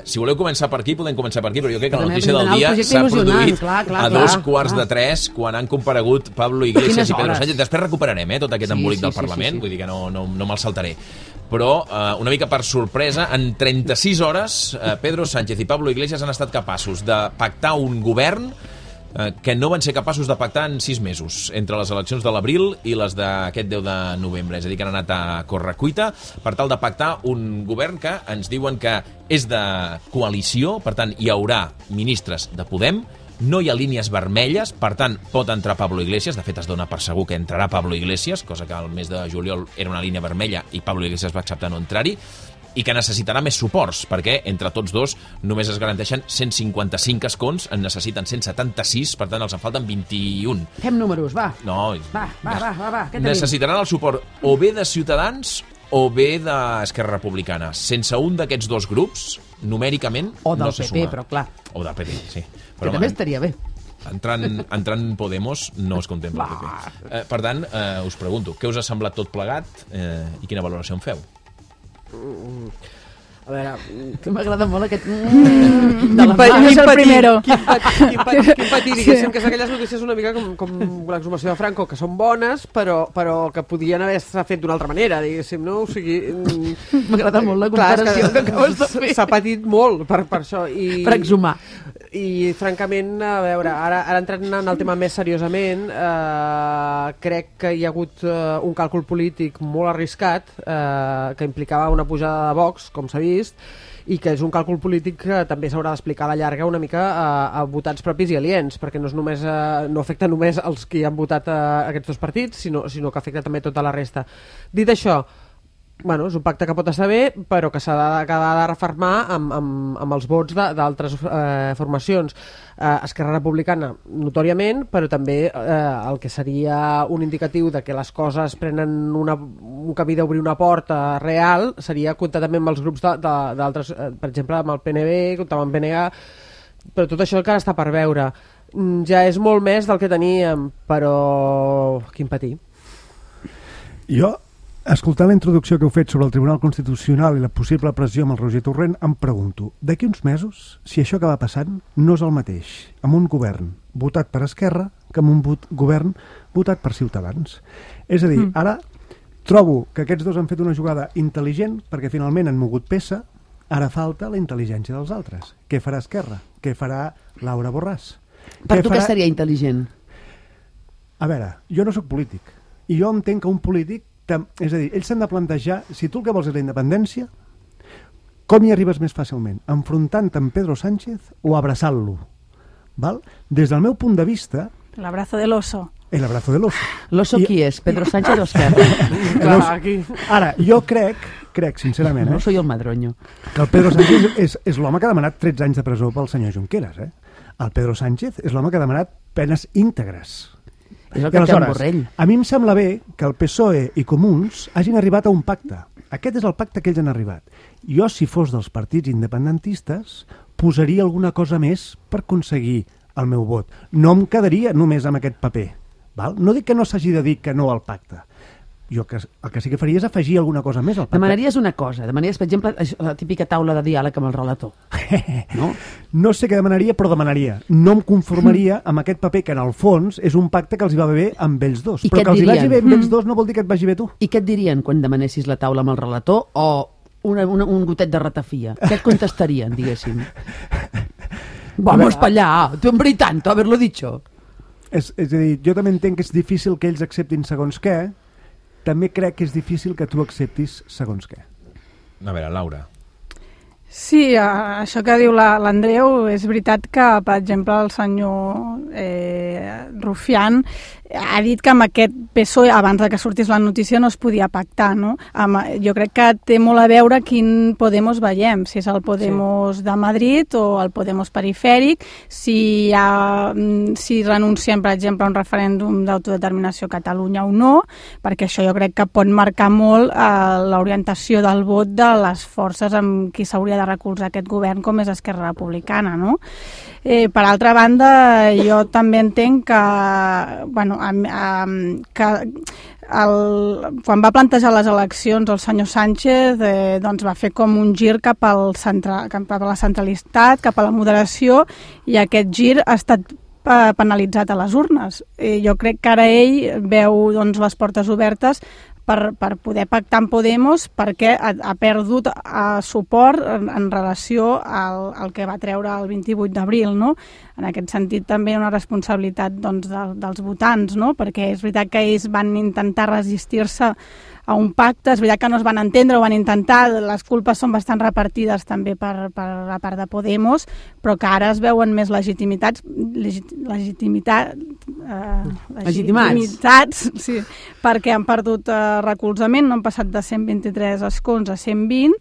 Si voleu començar per aquí, podem començar per aquí, però jo crec que la notícia del dia s'ha produït a 2:45, quan han comparegut Pablo Iglesias i Pedro Sánchez. Després recuperarem tot aquest embolic del Parlament, vull dir que no me'l saltaré. Però, una mica per sorpresa, en 36 hores, Pedro Sánchez i Pablo Iglesias han estat capaços de pactar un govern que no van ser capaços de pactar en 6 mesos, entre les eleccions de l'abril i les d'aquest 10 de novembre. És a dir, que han anat a correcuita per tal de pactar un govern que ens diuen que és de coalició, per tant, hi haurà ministres de Podem, no hi ha línies vermelles, per tant, pot entrar Pablo Iglesias. De fet, es dona per segur que entrarà Pablo Iglesias, cosa que al mes de juliol era una línia vermella i Pablo Iglesias va acceptar no entrar-hi, i que necessitarà més suports, perquè entre tots dos només es garanteixen 155 escons, en necessiten 176, per tant els en falten 21. Fem números, va. No. Va, què tenim? Necessitaran el suport o bé de Ciutadans o bé d'Esquerra Republicana. Sense un d'aquests dos grups, numèricament, o del no se PP, suma. però clar. O del PP, sí. Però també estaria bé. Entrant Podemos no es contempla el PP. Per tant, us pregunto, què us ha semblat tot plegat i quina valoració en feu? A veure, que m'agrada molt aquest... de la mà. És el primero. Quin patí, diguéssim, que és aquelles notícies una mica com l'exhumació de Franco, que són bones, però que podien haver-se fet d'una altra manera, diguéssim, no? O sigui... M'agrada molt la comparació que acabes de fer. S'ha patit molt per això. Per exhumar. I, francament, a veure, ara entrant en el tema més seriosament, crec que hi ha hagut un càlcul polític molt arriscat que implicava una pujada de Vox, com s'ha vist, i que és un càlcul polític que també s'haurà d'explicar a la llarga una mica a votants propis i aliens, perquè no és només, no afecta només els que han votat aquests dos partits, sinó que afecta també tota la resta. Dit això, bueno, és un pacte que pot estar bé, però que s'ha de refermar amb els vots d'altres formacions. Esquerra Republicana, notòriament, però també el que seria un indicatiu de que les coses prenen un camí d'obrir una porta real seria comptar també amb els grups d'altres, per exemple, amb el PNB, comptar amb el PNA, però tot això encara està per veure. Ja és molt més del que teníem, però quin patir. Jo, escoltant la introducció que heu fet sobre el Tribunal Constitucional i la possible pressió amb el Roger Torrent, em pregunto, d'aquí uns mesos, si això que va passant no és el mateix, amb un govern votat per Esquerra que amb un govern votat per Ciutadans. És a dir, ara trobo que aquests dos han fet una jugada intel·ligent perquè finalment han mogut peça, ara falta la intel·ligència dels altres. Què farà Esquerra? Què farà Laura Borràs? Per tu què seria intel·ligent? A veure, jo no sóc polític i jo entenc que un polític, és a dir, ells s'han de plantejar, si tu el que vols és la independència, com hi arribes més fàcilment? Enfrontant-te amb Pedro Sánchez o abraçant-lo? Des del meu punt de vista... L'abrazo del oso. El abrazo del oso. L'oso qui és? Pedro Sánchez o Esquerra? Ara, jo crec sincerament, no soy el madroño, que el Pedro Sánchez és l'home que ha demanat 13 anys de presó pel senyor Junqueras. El Pedro Sánchez és l'home que ha demanat penes íntegres. És el que té el Borrell. A mi em sembla bé que el PSOE i Comuns hagin arribat a un pacte. Aquest és el pacte que ells han arribat. Jo, si fos dels partits independentistes, posaria alguna cosa més per aconseguir el meu vot. No em quedaria només amb aquest paper. No dic que no s'hagi de dir que no al pacte. Jo el que sí que faria és afegir alguna cosa més al pacte. Demanaries una cosa, demanaries, per exemple, la típica taula de diàleg amb el relator. No sé què demanaria, però demanaria. No em conformaria amb aquest paper que en el fons és un pacte que els hi va bé amb ells dos. Però que els hi vagi bé amb ells dos no vol dir que et vagi bé tu. I què et dirien quan demanessis la taula amb el relator o un gotet de ratafia? Què et contestarien, diguéssim? Vamos pa allà, tu hombre y tanto, haberlo dicho. És a dir, jo també entenc que és difícil que ells acceptin segons què, també crec que és difícil que tu acceptis segons què. A veure, Laura. Sí, això que diu l'Andreu, és veritat que, per exemple, el senyor Rufián ha dit que amb aquest PSOE, abans que sortís la notícia, no es podia pactar, no? Jo crec que té molt a veure quin Podemos veiem, si és el Podemos de Madrid o el Podemos perifèric, si renunciem, per exemple, a un referèndum d'autodeterminació a Catalunya o no, perquè això jo crec que pot marcar molt l'orientació del vot de les forces amb qui s'hauria de recolzar aquest govern, com és Esquerra Republicana, no? Per altra banda, jo també entenc que, bueno, que quan va plantejar les eleccions el senyor Sánchez doncs va fer com un gir cap a la centralitat, cap a la moderació, i aquest gir ha estat penalitzat a les urnes. Jo crec que ara ell veu doncs, les portes obertes per poder pactar amb Podemos, perquè ha perdut suport en relació al que va treure el 28 d'abril, no? En aquest sentit també una responsabilitat doncs, dels votants, no? Perquè és veritat que ells van intentar resistir-se a un pacte, és veritat que no es van entendre, ho van intentar, les culpes són bastant repartides també per la part de Podemos, però que ara es veuen més legitimats, sí, perquè han perdut recolzament, no han passat de 123 escons a 120,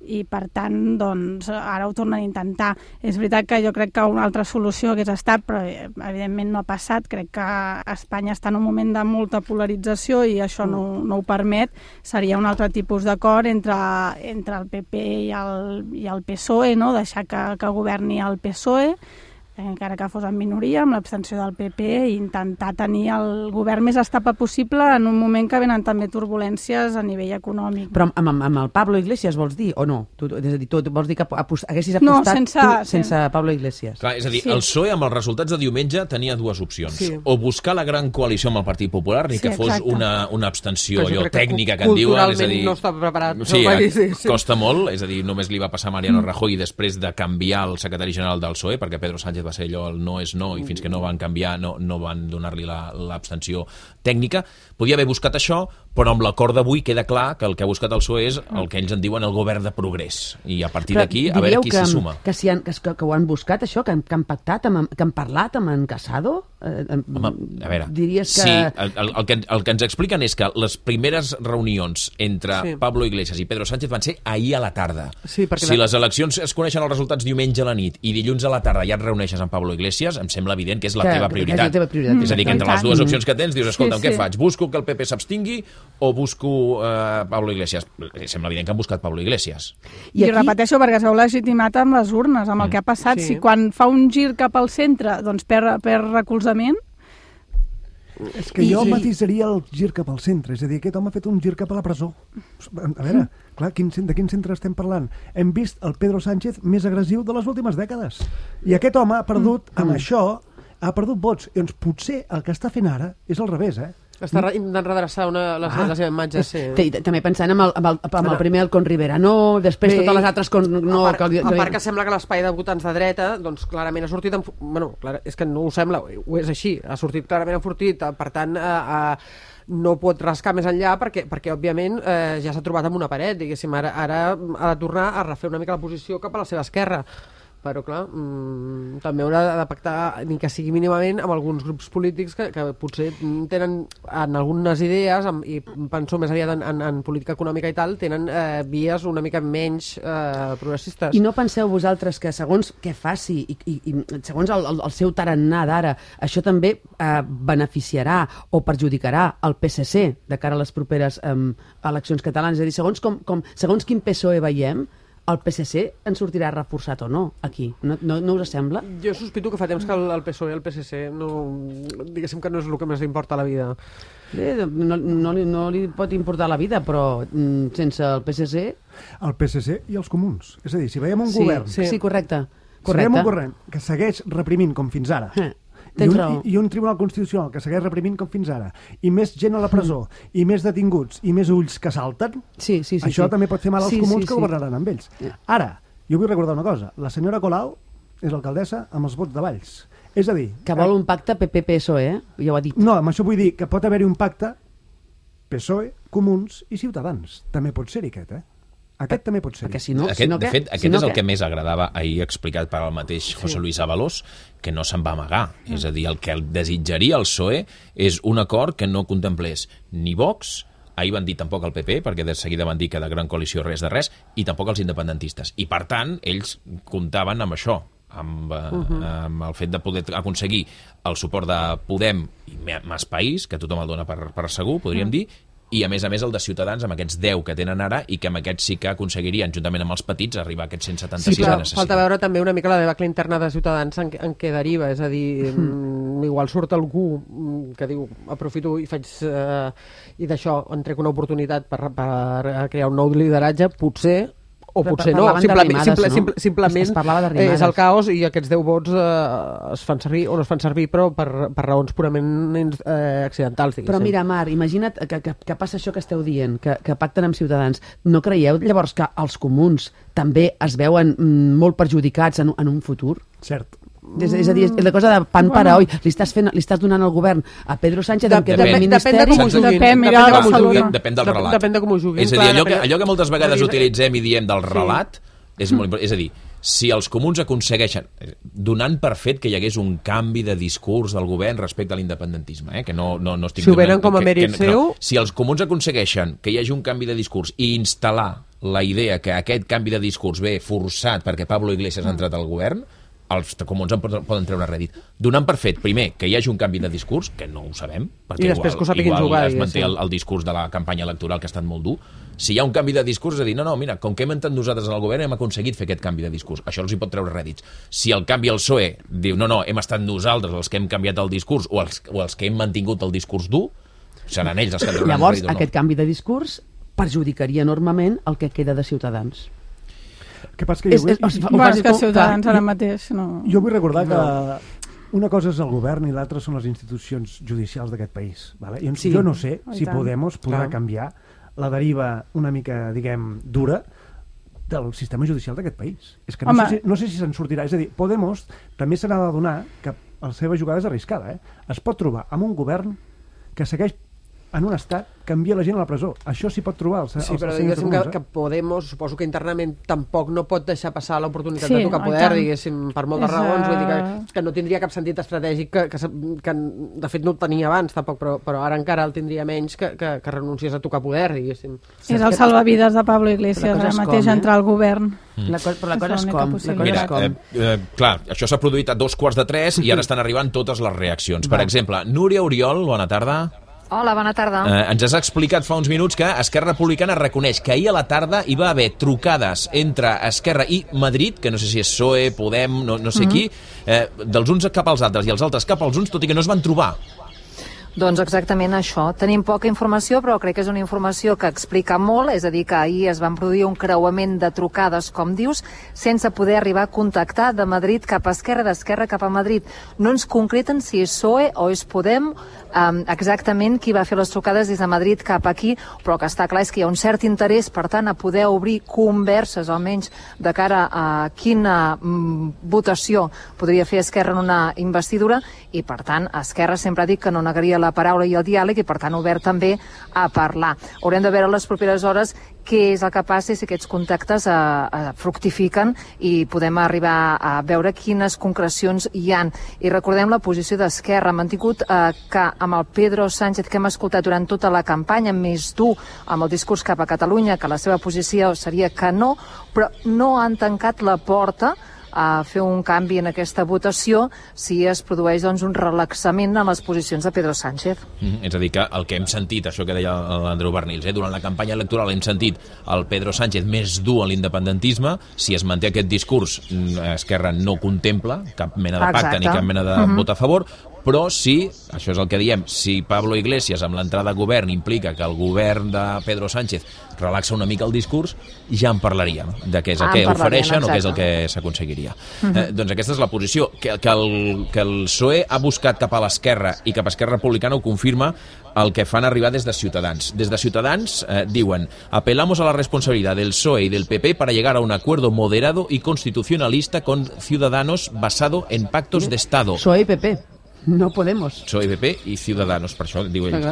i per tant doncs, ara ho tornen a intentar. És veritat que jo crec que una altra solució hagués estat, però evidentment no ha passat. Crec que Espanya està en un moment de molta polarització i això no ho permet. Seria un altre tipus d'acord entre el PP i el PSOE, no? Deixar que governi el PSOE, encara que fos en minoria, amb l'abstenció del PP, i intentar tenir el govern més estable possible en un moment que venen també turbulències a nivell econòmic. Però amb el Pablo Iglesias vols dir, o no? És a dir, tu vols dir que haguessis apostat sense Pablo Iglesias? Clar, és a dir, el PSOE amb els resultats de diumenge tenia dues opcions. Sí. O buscar la gran coalició amb el Partit Popular, ni que fos una abstenció tècnica que en diuen. És a dir, no està preparat. Sí, costa molt, és a dir, només li va passar a Mariano Rajoy després de canviar el secretari general del PSOE, perquè Pedro Sánchez va ser allò, el no és no, i fins que no van canviar no van donar-li l'abstenció tècnica. Podia haver buscat això, però amb l'acord d'avui queda clar que el que ha buscat el PSOE és el que ells en diuen el govern de progrés, i a partir d'aquí a veure qui s'hi suma. Que ho han buscat això, que han pactat, que han parlat amb en Casado? Home, a veure, diries que... sí, el que ens expliquen és que les primeres reunions entre Pablo Iglesias i Pedro Sánchez van ser ahir a la tarda. Sí, si les eleccions es coneixen els resultats diumenge a la nit i dilluns a la tarda ja et reuneixes amb Pablo Iglesias, em sembla evident que és la teva prioritat. És a dir, que entre les dues opcions que tens dius, escolta, què faig? Busco que el PP s'abstingui o busco Pablo Iglesias? Sembla evident que han buscat Pablo Iglesias. I repeteixo, perquè es veu legitimat amb les urnes, amb el que ha passat. Si quan fa un gir cap al centre doncs perd recolzament. És que jo matisaria el gir cap al centre, és a dir, aquest home ha fet un gir cap a la presó. A veure, clar, de quin centre estem parlant? Hem vist el Pedro Sánchez més agressiu de les últimes dècades. I aquest home ha perdut, amb això, ha perdut vots. I doncs potser el que està fent ara és al revés, Està intentant redreçar la seva imatge, sí. També pensant amb el primer, el Con Rivera, no, després totes les altres... A part que sembla que l'espai de votants de dreta, doncs clarament ha sortit... Bueno, és que no ho sembla, ho és així, ha sortit clarament enfortit, per tant... no pot rascar més enllà perquè òbviament, ja s'ha trobat amb una paret, diguéssim, ara ha de tornar a refer una mica la posició cap a la seva esquerra. Però, clar, també haurà de pactar, ni que sigui mínimament, amb alguns grups polítics que potser tenen en algunes idees, i penso més aviat en política econòmica i tal, tenen vies una mica menys progressistes. I no penseu vosaltres que segons què faci i segons el seu tarannà d'ara, això també beneficiarà o perjudicarà el PSC de cara a les properes eleccions catalanes? És a dir, segons quin PSOE veiem, el PSC en sortirà reforçat o no, aquí? No us sembla? Jo sospito que fa temps que el PSOE i el PSC diguéssim que no és el que més li importa a la vida. No li pot importar la vida, però sense el PSC... El PSC i els comuns. És a dir, si veiem un govern... Sí, correcte. Si veiem un govern que segueix reprimint com fins ara... I un tribunal constitucional que segueix reprimint com fins ara, i més gent a la presó, i més detinguts, i més ulls que salten, això també pot fer mal als comuns que governaran amb ells. Ara, jo vull recordar una cosa. La senyora Colau és l'alcaldessa amb els vots de Valls. És a dir... Que vol un pacte PP-PSOE, ja ho ha dit. No, amb això vull dir que pot haver-hi un pacte PSOE, Comuns i Ciutadans. També pot ser-hi aquest, Aquest també pot ser. De fet, aquest és el que més agradava ahir explicat per el mateix José Luis Ábalos, que no se'n va amagar. És a dir, el que desitjaria el PSOE és un acord que no contemplés ni Vox, ahir van dir tampoc el PP, perquè de seguida van dir que de gran coalició res de res, i tampoc els independentistes. I per tant, ells comptaven amb això, amb el fet de poder aconseguir el suport de Podem i Mas País, que tothom el dona per segur, podríem dir, i a més el de Ciutadans, amb aquests 10 que tenen ara, i que amb aquests sí que aconseguirien, juntament amb els petits, arribar a aquests 176 que necessiten. Falta veure també una mica la debacle interna de Ciutadans en què deriva, és a dir, igual surt algú que diu, aprofito i faig i d'això en trec una oportunitat per crear un nou lideratge, potser o potser no, simplement és el caos i aquests 10 vots es fan servir o no es fan servir, però per raons purament accidentals, diguéssim. Però mira, Mar, imagina't que passa això que esteu dient, que pacten amb Ciutadans. No creieu llavors que els comuns també es veuen molt perjudicats en un futur? Cert. És a dir, la cosa de pan para hoy. Li estàs donant al govern a Pedro Sánchez en què del ministeri... Depèn del relat. Depèn de com ho juguin. És a dir, allò que moltes vegades utilitzem i diem del relat és molt important. És a dir, si els comuns aconsegueixen, donant per fet que hi hagués un canvi de discurs del govern respecte a l'independentisme, que no estic... Si ho venen com a mèrit seu... Si els comuns aconsegueixen que hi hagi un canvi de discurs i instal·lar la idea que aquest canvi de discurs ve forçat perquè Pablo Iglesias ha entrat al govern, els comuns en poden treure rèdit. Donant per fet, primer, que hi hagi un canvi de discurs, que no ho sabem, perquè i després que ho sapiguin jugar, es manté el discurs de la campanya electoral, que ha estat molt dur. Si hi ha un canvi de discurs, és a dir, no, mira, com que hem entrat nosaltres en el govern hem aconseguit fer aquest canvi de discurs. Això els hi pot treure rèdits. Si el canvi el PSOE diu, no, hem estat nosaltres els que hem canviat el discurs o els que hem mantingut el discurs dur, seran ells els que trauran llavors, rèdit o no. Aquest canvi de discurs perjudicaria enormement el que queda de Ciutadans. Que passa que és que Ciutadans ara mateix no... Jo vull recordar que una cosa és el govern i l'altra són les institucions judicials d'aquest país. Vale? Jo no sé si Podemos podrà canviar la deriva una mica, diguem, dura del sistema judicial d'aquest país. És que no sé si se'n sortirà. És a dir, Podemos també se n'ha de donar que la seva jugada és arriscada. Es pot trobar amb un govern que segueix en un estat que envia la gent a la presó. Això s'hi pot trobar. Sí, però diguéssim que Podemos, suposo que internament tampoc no pot deixar passar l'oportunitat de tocar poder, diguéssim, per moltes raons. Vull dir que no tindria cap sentit estratègic, que de fet no ho tenia abans tampoc, però ara encara el tindria menys que renunciés a tocar poder, diguéssim. És el salvavides de Pablo Iglesias, ara mateix entrar al govern. Però la cosa és com. Mira, clar, això s'ha produït a 2:45 i ara estan arribant totes les reaccions. Per exemple, Núria Oriol, bona tarda. Hola, bona tarda. Ens has explicat fa uns minuts que Esquerra Republicana reconeix que ahir a la tarda hi va haver trucades entre Esquerra i Madrid, que no sé si és PSOE, Podem, no sé qui, dels uns cap als altres i els altres cap als uns, tot i que no es van trobar. Doncs exactament això. Tenim poca informació, però crec que és una informació que explica molt, és a dir, que ahir es van produir un creuament de trucades, com dius, sense poder arribar a contactar de Madrid cap a Esquerra, d'Esquerra cap a Madrid. No ens concreten si és PSOE o és Podem, exactament qui va fer les trucades des de Madrid cap aquí, però que està clar és que hi ha un cert interès, per tant, a poder obrir converses, almenys de cara a quina votació podria fer Esquerra en una investidura, i per tant, Esquerra sempre ha dit que no negaria la paraula i el diàleg i per tant obert també a parlar. Haurem de veure les properes hores què és el que passa i si aquests contactes fructifiquen i podem arribar a veure quines concrecions hi han. I recordem la posició d'Esquerra. Han mantingut que amb el Pedro Sánchez que hem escoltat durant tota la campanya, més dur amb el discurs cap a Catalunya, que la seva posició seria que no, però no han tancat la porta a fer un canvi en aquesta votació si es produeix un relaxament en les posicions de Pedro Sánchez. És a dir, que el que hem sentit, això que deia l'Andreu Bernils, durant la campanya electoral hem sentit el Pedro Sánchez més dur a l'independentisme. Si es manté aquest discurs, Esquerra no contempla cap mena de pacte ni cap mena de vot a favor, però si, això és el que diem, si Pablo Iglesias amb l'entrada a govern implica que el govern de Pedro Sánchez relaxa una mica el discurs, ja en parlaríem de què és el que ofereixen o què és el que s'aconseguiria. Doncs aquesta és la posició. Que el PSOE ha buscat cap a l'esquerra i cap a Esquerra Republicana ho confirma el que fan arribar des de Ciutadans. Des de Ciutadans diuen: apelamos a la responsabilidad del PSOE y del PP para llegar a un acuerdo moderado y constitucionalista con Ciudadanos basado en pactos de Estado. PSOE y PP. No Podemos. PSOE, PP y Ciudadanos, por eso digo ellos.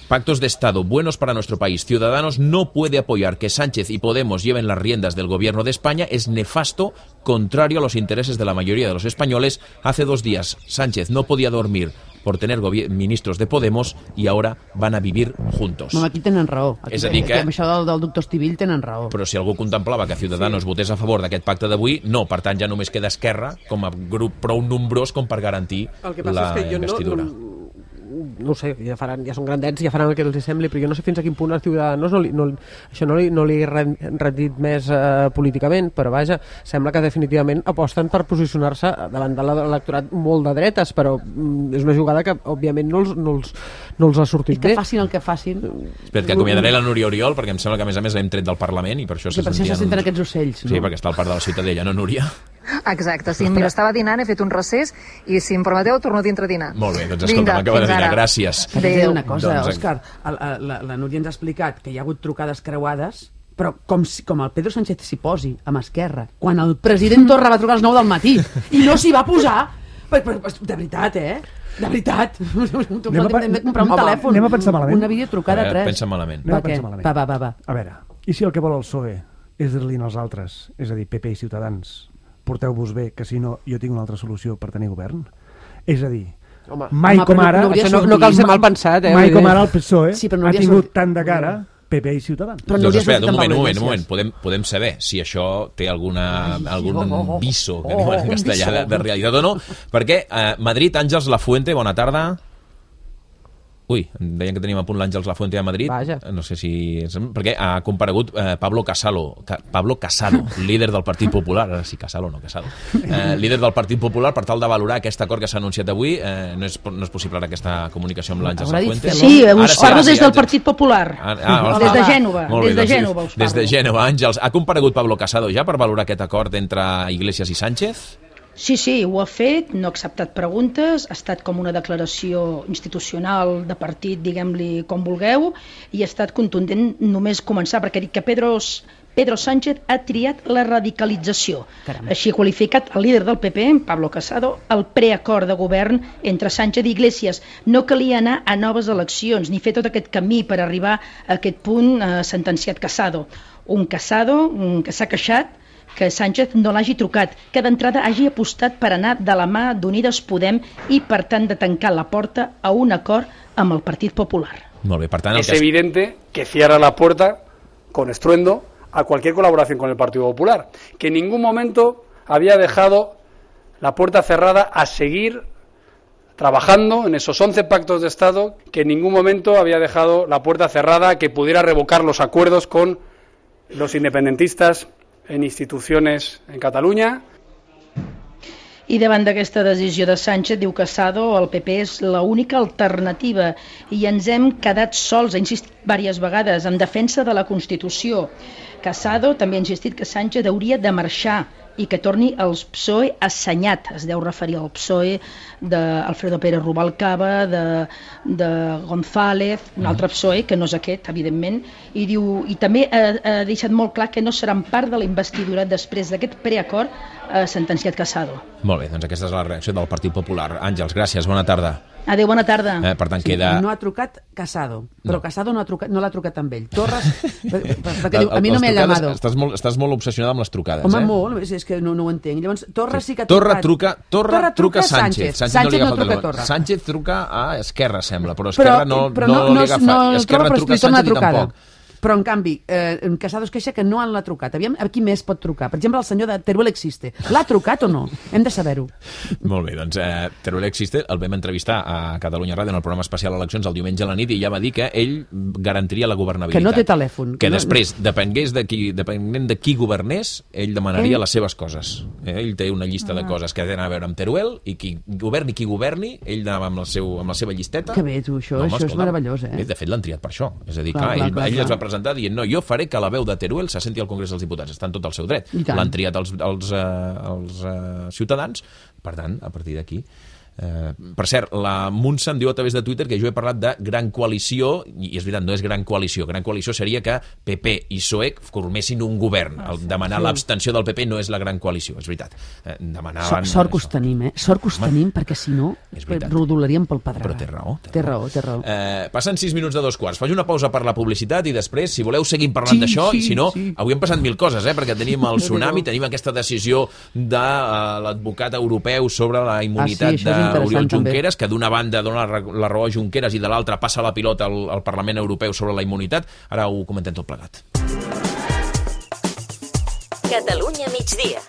Pactos de Estado buenos para nuestro país. Ciudadanos no puede apoyar que Sánchez y Podemos lleven las riendas del gobierno de España. Es nefasto, contrario a los intereses de la mayoría de los españoles. Hace 2 días Sánchez no podía dormir por tener ministros de Podemos i ara van a vivir juntos. No, aquí tenen raó. És a dir que... Amb això del doctor Estivill tenen raó. Però si algú contemplava que Ciudadanos votés a favor d'aquest pacte d'avui, no, per tant ja només queda Esquerra com a grup prou nombrós com per garantir la investidura. no ho sé, ja són grandets, ja faran el que els sembli, però jo no sé fins a quin punt els Ciudadanos això no li ha rendit més políticament, però vaja, sembla que definitivament aposten per posicionar-se davant de l'electorat molt de dretes, però és una jugada que òbviament no els ha sortit bé. I que facin el que facin. Espera, que acomiadaré la Núria Oriol, perquè em sembla que a més l'hem tret del Parlament i per això se senten aquests ocells, no? Sí, perquè està al parc de la Ciutadella, no, Núria? Exacte, sí, mira, estava dinant, he fet un recés i si em permeteu torno dintre a dinar. Molt bé, doncs escolta, m'acaba de dinar, gràcies. Adéu. Una cosa, Òscar, la Núria ens ha explicat que hi ha hagut trucades creuades, però com el Pedro Sánchez s'hi posi amb Esquerra, quan el president Torra va trucar a les 9 del matí i no s'hi va posar, de veritat, de veritat. Hem de comprar un telèfon. Anem a pensar malament. Una videotrucada 3. Pensa malament. Va. A veure, i si el que vol el PSOE és dir-li als altres, és a dir, PP i Ciutadans, porteu-vos bé, que si no jo tinc una altra solució per tenir govern? És a dir, mai com ara... No cal ser mal pensat, mai com ara el PSOE ha tingut tant de cara PP i Ciutadans. Doncs espera, un moment. Podem saber si això té algun viso, que diuen en castellà, de realitat o no, perquè Madrid, Àngels Lafuente, bona tarda. Ui, em deien que teníem a punt l'Àngels Lafuente a Madrid. Vaja. No sé si... Perquè ha comparegut Pablo Casado, líder del Partit Popular. Ara sí, Casado, no Casado. Líder del Partit Popular, per tal de valorar aquest acord que s'ha anunciat avui. No és possible ara aquesta comunicació amb l'Àngels Lafuente. Sí, us parlo des del Partit Popular. Des de Gènova. Des de Gènova, Àngels. Ha comparegut Pablo Casado ja per valorar aquest acord entre Iglesias i Sánchez? Sí, ho ha fet, no ha acceptat preguntes, ha estat com una declaració institucional de partit, diguem-li com vulgueu, i ha estat contundent només començar, perquè ha dit que Pedro Sánchez ha triat la radicalització. Caramba. Així ha qualificat el líder del PP, Pablo Casado, el preacord de govern entre Sánchez i Iglesias. No calia anar a noves eleccions, ni fer tot aquest camí per arribar a aquest punt sentenciat Casado. Un Casado que s'ha queixat que Sánchez no l'hagi trucat, que d'entrada hagi apostat per anar de la mà d'Unides Podem i, per tant, de tancar la porta a un acord amb el Partit Popular. Molt bé, per tant... Es evidente que cierra la puerta con estruendo a cualquier colaboración con el Partido Popular, que en ningún momento había dejado la puerta cerrada a seguir trabajando en esos 11 pactos de Estado, que en ningún momento había dejado la puerta cerrada a que pudiera revocar los acuerdos con los independentistas en institucions en Catalunya. I davant d'aquesta decisió de Sánchez, diu Casado, el PP és l'única alternativa i ens hem quedat sols, ha insistit diverses vegades, en defensa de la Constitució. Casado també ha insistit que Sánchez hauria de marxar i que torni el PSOE assenyat, es deu referir al PSOE d'Alfredo Pérez Rubalcaba, de González, un altre PSOE, que no és aquest, evidentment, i diu, i també ha deixat molt clar que no seran part de la investidura després d'aquest preacord sentenciat Casado. Molt bé, doncs aquesta és la reacció del Partit Popular. Àngels, gràcies, bona tarda. Adéu, bona tarda. Per tant, queda... No ha trucat Casado, però Casado no l'ha trucat amb ell. Torres, perquè diu, a mi no m'he llamado. Estàs molt obsessionada amb les trucades, Home, molt, és que no ho entenc. Llavors, Torres sí que ha trucat. Torra truca a Sánchez. Sánchez no truca a Torra. Sánchez truca a Esquerra, sembla, però Esquerra no li agafa. Esquerra truca a Sánchez i tampoc. Però, en canvi, Casado es queixa que no l'ha trucat. Aviam, a qui més pot trucar? Per exemple, el senyor de Teruel Existe. L'ha trucat o no? Hem de saber-ho. Molt bé, doncs Teruel Existe el vam entrevistar a Catalunya Ràdio en el programa especial Eleccions el diumenge a la nit i ja va dir que ell garantiria la governabilitat. Que no té telèfon. Que després, depenent de qui governés, ell demanaria les seves coses. Ell té una llista de coses que tenen a veure amb Teruel i qui governi, ell anava amb la seva llisteta. Que bé, tu, això és meravellós, De fet, l'han triat per això. És a dir, ell es va presentar dient, no, jo faré que la veu de Teruel se senti al Congrés dels Diputats, està en tot el seu dret. L'han triat els ciutadans, per tant, a partir d'aquí per cert, la Montse em diu a través de Twitter que jo he parlat de gran coalició i és veritat, no és gran coalició seria que PP i PSOE formessin un govern. Demanar l'abstenció del PP no és la gran coalició, és veritat. Sort que us tenim, sort que us tenim, perquè si no rodolaríem pel pedregar. Però té raó. Passen 6 minuts de 2:15, faig una pausa per la publicitat i després, si voleu, seguim parlant d'això, i si no, avui han passat 1000 coses, perquè tenim el tsunami, tenim aquesta decisió de l'advocat europeu sobre la immunitat d'Oriol Junqueras, que d'una banda dona la raó a Junqueras i de l'altra passa la pilota al Parlament Europeu sobre la immunitat. Ara ho comentem tot plegat. Catalunya migdia.